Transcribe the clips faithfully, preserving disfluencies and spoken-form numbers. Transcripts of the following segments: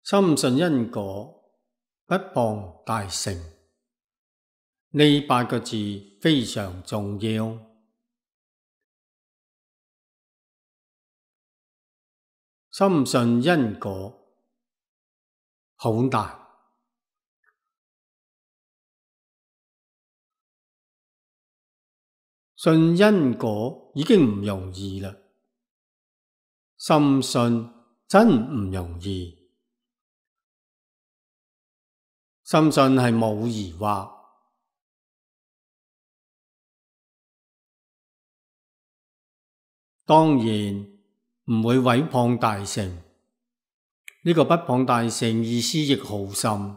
深信因果，不謗大乘。呢八個字非常重要。深信因果好難，信因果已經唔容易啦，深信真唔容易。深信係冇疑惑，當然唔會毀謗大乘。呢個不謗大乘意思亦好深，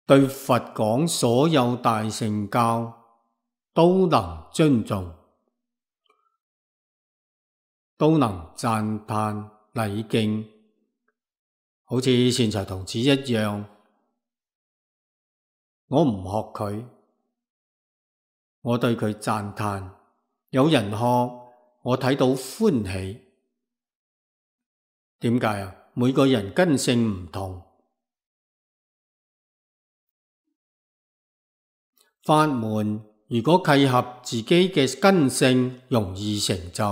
對佛講所有大乘教都能尊重，都能讚歎禮敬，好似善財童子一樣。我唔學佢，我對佢讚歎，有人學，我睇到歡喜。點解啊？每個人根性唔同，法門如果契合自己嘅根性，容易成就；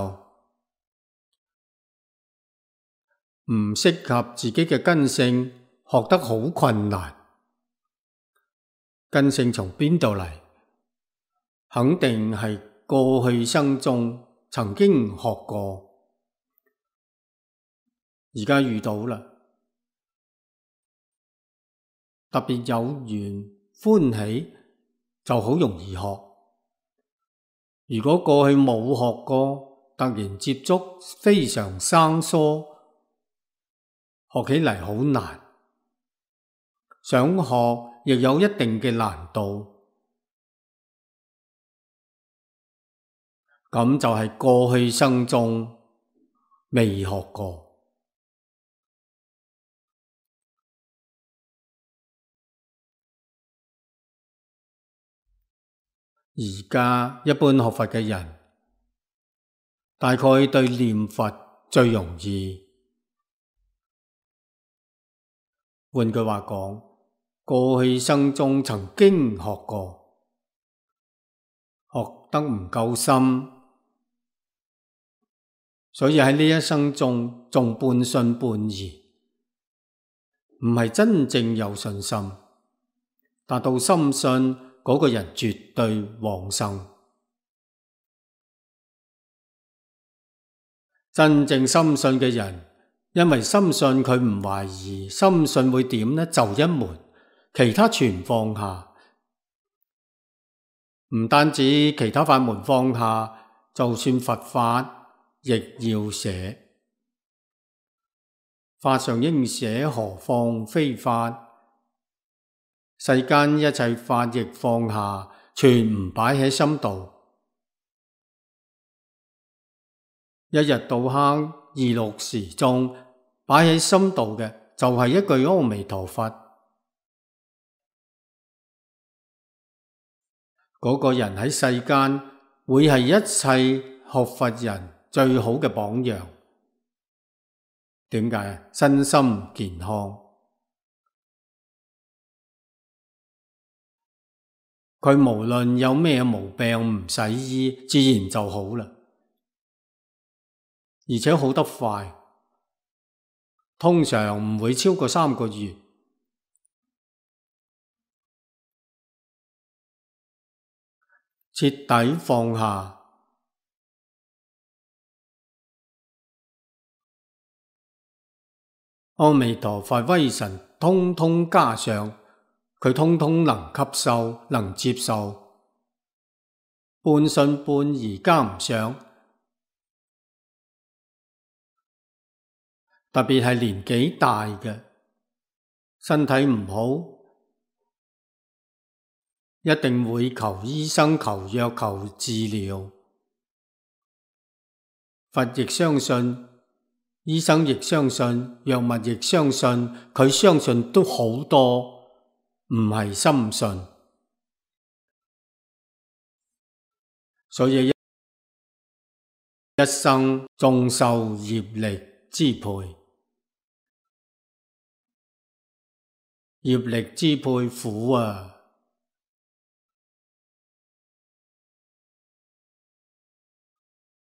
唔適合自己嘅根性，學得好困難。根性從邊度嚟？肯定係過去生中曾經學過，而家遇到啦，特別有緣歡喜就好容易學。如果過去冇學過，突然接觸非常生疏，學起嚟好難，想學亦有一定嘅難度。咁就係過去生中未學過。而家一般學佛嘅人，大概對念佛最容易。換句話講，過去生中曾經學過，學得唔夠深，所以喺呢一生中仲半信半疑，唔係真正有信心。達到深信嗰個人絕對往生。真正深信嘅人，因為深信佢唔懷疑，深信會點呢？就一門，其他全放下。唔單止其他法門放下，就算佛法亦要捨。法上應捨，何況非法？世間一切法亦放下，全唔擺喺心度。一日到黑，二六時中，擺喺心度嘅就係一句阿彌陀佛。嗰個人喺世間會係一切學佛人最好嘅榜樣。點解？身心健康。佢無論有咩毛病唔使醫，自然就好啦，而且好得快，通常唔會超過三個月。徹底放下，阿彌陀佛威神通通加上，佢通通能吸收，能接受，半信半疑加唔上。特別係年紀大嘅，身體唔好，一定會求醫生、求藥、求治療。佛亦相信，醫生亦相信，藥物亦相信，佢相信都好多，唔係深信。所以一生終受業力支配。業力支配苦啊！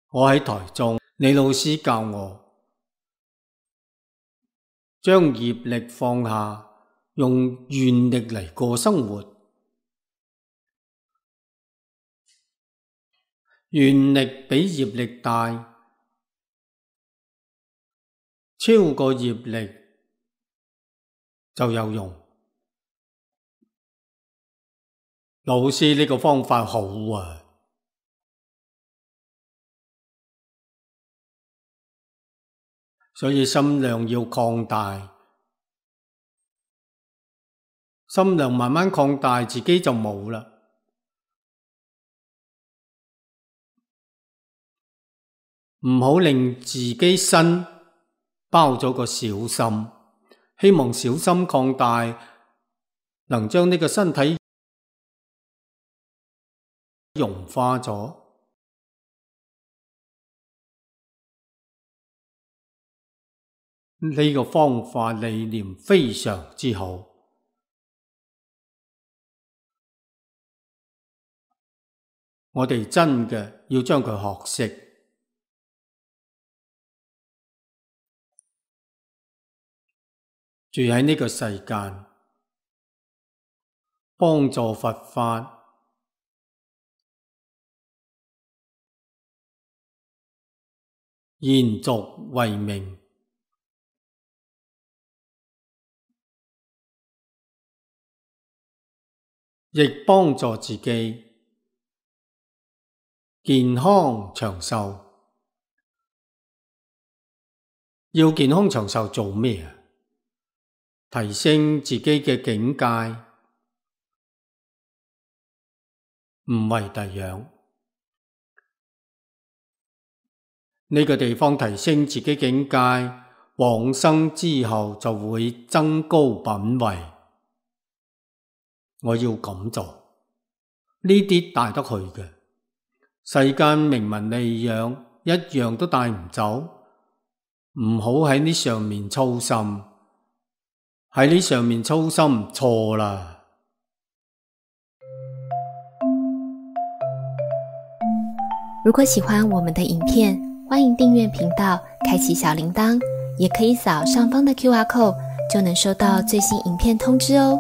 我喺台中，李老師教我將業力放下，用願力嚟過生活。願力比業力大，超過業力就有用。老師呢個方法好啊！所以心量要擴大，心量慢慢擴大，自己就冇啦。唔好令自己身包咗個小心，希望小心擴大，能將呢個身體融化咗。呢個方法理念非常之好，我哋真嘅要將佢學識。住喺呢個世間，幫助佛法，延續慧命，亦幫助自己健康長壽。要健康長壽做咩啊？提升自己嘅境界，唔為第樣。呢個地方提升自己境界，往生之後就會增高品位。我要咁做，呢啲帶得去嘅，世間名聞利養一樣都帶唔走。唔好喺呢上面操心，喺呢上面操心錯啦。如果喜歡我們的影片，歡迎訂閱頻道，開啟小鈴鐺，也可以掃上方的 Q R code，就能收到最新影片通知哦。